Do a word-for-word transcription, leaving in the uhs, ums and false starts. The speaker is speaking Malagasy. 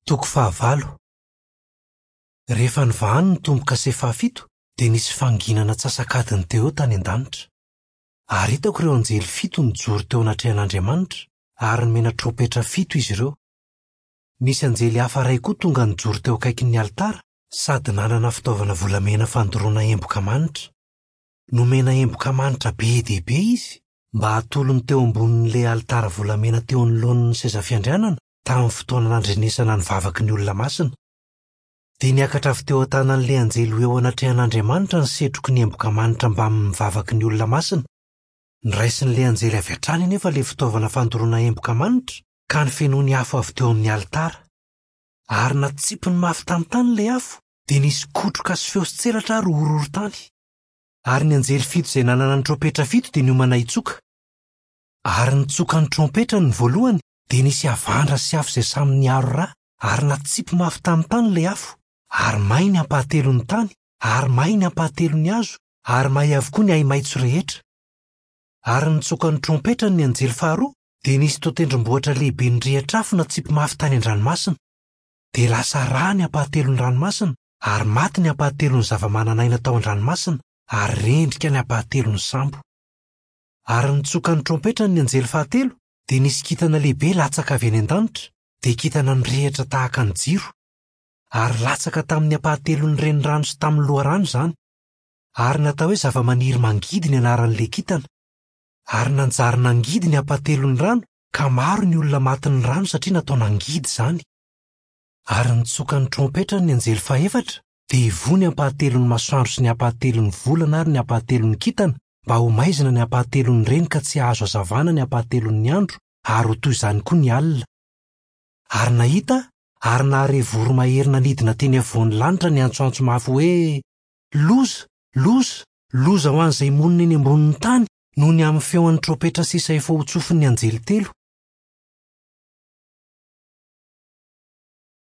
Toko fahavalo. Rehefa nivahany ny tombo-kase fahafito dia nisy fanginana antsasak'adiny teo eo tany an-danitra. Ary hitako ireo anjely fito nijoro teo anatrehan'Andriamanitra ary nomena trompetra fito izy ireo. Nisy anjely hafa iray koa tonga nijoro teo akaikin'ny alitara sady nanana fitaovana volamena fandoroana emboka manitra. Nomena emboka manitra be dia be izy mba hatolony teo ambonin'ilay alitara volamena teo anoloan'ny seza fiandrianana tamin'ny fotoana nandrenesana ny vavaky ny olona masina. Dia niakatra avy teo an-tanan'ilay anjely ho eo anatrehan'Andriamanitra ny setroky ny emboka manitra mbamin'ny vavaky ny olona masina. Noraisin'ilay anjely avy hatrany anefa ilay fitaovana fandoroana emboka manitra ka nofenoiny afo avy teo amin'ny alitara. Ary natsipiny mafy tamin'ny tany ilay afo, dia nisy kotroka sy feo sy tselatra ary horohorontany. Ary ny anjely fito izay nanana ny trompetra fito dia niomana hitsoka. Ary nitsoka ny trompetrany ny voalohany, dia nisy havandra sy afo izay samy niaro rà, ary natsipy mafy tamin'ny tany ilay afo, ary may ny ampahatelon'ny tany, ary may ny ampahatelon'ny hazo, ary may avokoa ny ahi-maitso rehetra. Ary nitsoka ny trompetrany ny anjely faharoa, dia nisy toa tendrombohitra lehibe nirehitra afo natsipy mafy tany an-dranomasina. Dia lasa rà ny ampahatelon'ny ranomasina, ary maty ny ampahatelon'ny zava-manan'aina tao an-dranomasina, ary rendrika ny ampahatelon'ny sambo. Ary nitsoka ny trompetrany ny anjely fahatelo, dia nisy kintana lehibe latsaka avy any an-danitra, dia kintana nirehitra tahaka ny jiro. Ary latsaka tamin'ny ampahatelon'ny renirano sy tamin'ny loharano izany. Ary natao hoe zava-maniry mangidy ny anaran'ilay kintana. Ary nanjary nangidy ny ampahatelon'ny rano, ka maro ny olona matin'ny rano satria natao nangidy izany. Ary nitsoka ny trompetrany ny anjely fahefatra, dia voa ny ampahatelon'ny masoandro sy ny ampahatelon'ny volana ary ny ampahatelon'ny kintana, mba ho maizina ny ampahatelon'ny reny ka tsy hahazo hazavana ny ampahatelon'ny andro, ary ho toy izany koa ny alina. Ary nahita ary nahare voromahery nanidina teny afovoan'ny lanitra niantsoantso mafy hoe: Loza, loza, loza ho an'izay monina eny ambonin'ny tany noho ny amin'ny feon'ny trompetra sisa efa ho tsofin'ny anjely telo.